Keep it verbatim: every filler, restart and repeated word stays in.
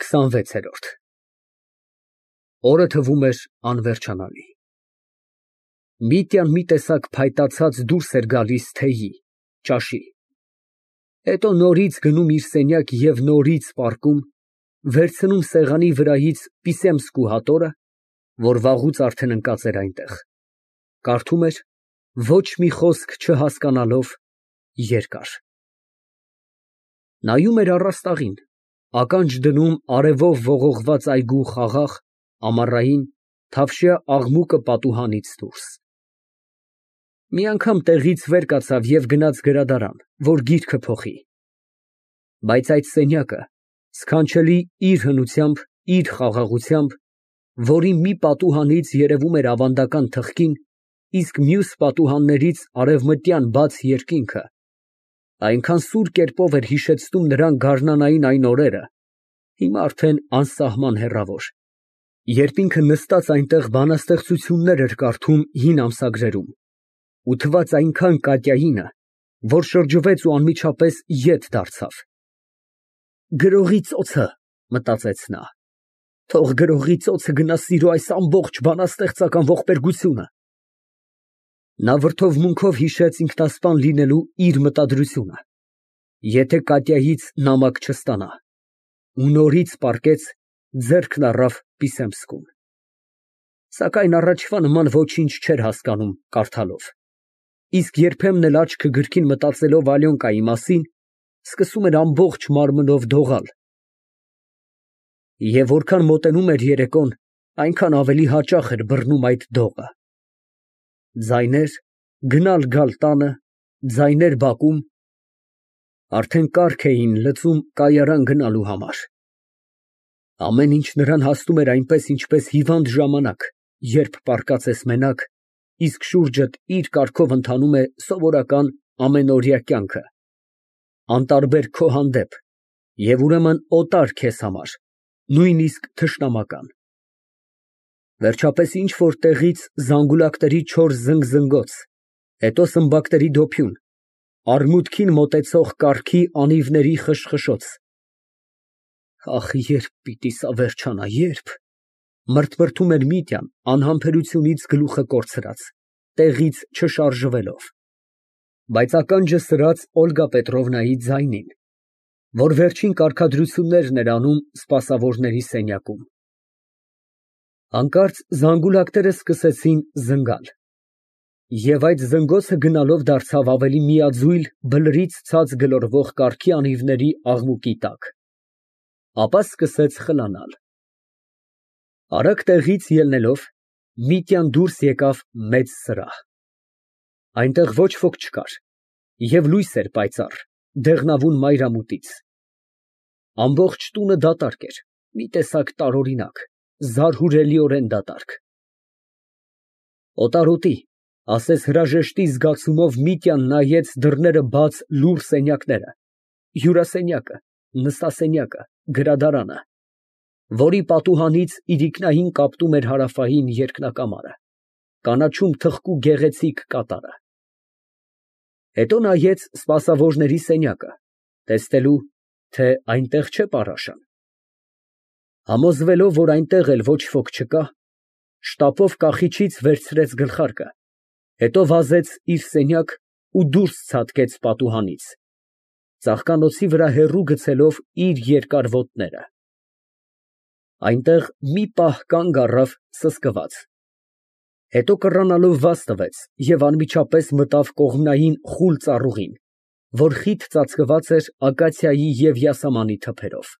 քսանվեցերորդ Օրը թվում էր անվերջանալի։ Միտյան մի տեսակ փայտացած դուրս էր գալիս թեյի, ճաշի, հետո նորից գնում իր սենյակ և նորից պառկում, վերցնում սեղանի վրայից պիսեմսկու հատորը, որ վաղուց արդեն ընկած էր այնտեղ, կարդում էր, ոչ մի խոսք չհասկանալով, երկար։ Նայում էր առաստաղին, ականջ դնում արևով ողողված այգու խաղաղ, ամառային, թավշյա աղմուկը պատուհանից դուրս։ Մի անգամ տեղից վեր կացավ և գնաց գրադարան, որ գիրքը փոխի։ Բայց այդ սենյակը, սքանչելի իր հնությամբ, իր խաղաղությամբ, որի մի պատուհանից երևում էր ավանդական թխկին, իսկ մյուս պատուհաններից արևմտյան բաց երկինքը, այնքան սուր կերպով էր հիշեցնում նրան գարնանային այն օրերը, հիմա արդեն անսահման հեռավոր, երբ ինքը նստած այնտեղ բանաստեղծություններ էր կարդում հին ամսագրերում, ու թվաց այնքան Կատյայինը, որ շրջվեց ու անմիջապես ետ դարձավ։ Գրողի ծոցը, մտածեց նա, թող գրողի ծոցը գնա սիրո այս ամբողջ բանաստեղծական ողբերգությունը։ Նա վրդովմունքով հիշեց ինքնասպան լինելու իր մտադրությունը, եթե Կատյայից նամակ չստանա, ու նորից պառկեց, ձեռքն առավ պիսեմսկուն։ Սակայն առաջվա նման ոչինչ չէր հասկանում կարդալով, իսկ երբեմն էլ աչքը գրքին մտածելով Ալյոնկայի մասին, սկսում էր ամբողջ մարմնով դողալ։ Եվ որքան մոտենում էր երեկոն, այնքան ավելի հաճախ էր բռնում այդ դողը։ Ձայներ, գնալ֊գալ տանը, ձայներ բակում, արդեն կառք էին լծում կայարան գնալու համար։ Ամեն ինչ նրան հասնում էր այնպես, ինչպես հիվանդ ժամանակ, երբ պառկած ես մենակ, իսկ շուրջդ իր կարգով ընթանում է սովորական ամենօրյա կյանքը, անտարբեր քո հանդեպ և ուրեմն օտար քեզ համար, նույնիսկ թշնամական։ Վերջապես ինչ֊որ տեղից զանգուլակների չոր զնգզնգոց, հետո սմբակների դոփյուն, արմուտքին մոտեցող կառքի անիվների խշխշոց։ Ահ, երբ պիտի սա վերջանա, ե՞րբ, մրթմրթում էր Միտյան անհամբերությունից գլուխը կորցրած, տեղից չշարժվելով, բայց ականջը սրած Օլգա Պետրովնայի ձայնին, որ վերջին կարգադրություններն էր անում սպասավորների սենյակում։ Հանկարծ զանգուլակները սկսեցին զնգալ, և այդ զնգոցը գնալով դարձավ ավելի միաձույլ բլրից ցած գլորվող կառքի անիվների աղմուկի տակ, ապա սկսեց խլանալ։ Արագ տեղից ելնելով, Միտյան դուրս եկավ մեծ սրահ։ Այնտեղ ոչ ոք չկար, և լույս էր պայծառ, դեղնավուն մայրամուտից։ Ամբողջ տունը դատարկ էր, մի տեսակ տարօրինակ, զարհուրելիորեն դատարկ։ Օտարոտի, ասես հրաժեշտի զգացումով Միտյան նայեց դռները բաց լուռ սենյակները, հյուրասենյակը, նստասենյակը, գրադարանը, որի պատուհանից իրիկնային կապտում էր հարավային երկնակամարը, կանաչում թխկու գեղեցիկ կատարը։ Հետո նայեց սպասավորների սենյակը, տեսնելու, թե այնտեղ չէ պառաշան։ Համոզվելով, որ այնտեղ էլ ոչ ոք չկա, շտապով կախիչից վերցրեց գլխարկը, հետո վազեց իր սենյակ ու դուրս ցատկեց պատուհանից, ծաղկանոցի վրա հեռու գցելով իր երկար ոտները։ Այնտեղ մի պահ կանգ առավ սսկված, հետո կռանալով վազ տվեց և անմիջապես մտավ կողմնային խուլ ծառուղին, որ խիտ ծածկված էր ակացիայի և յասամանի թփերով։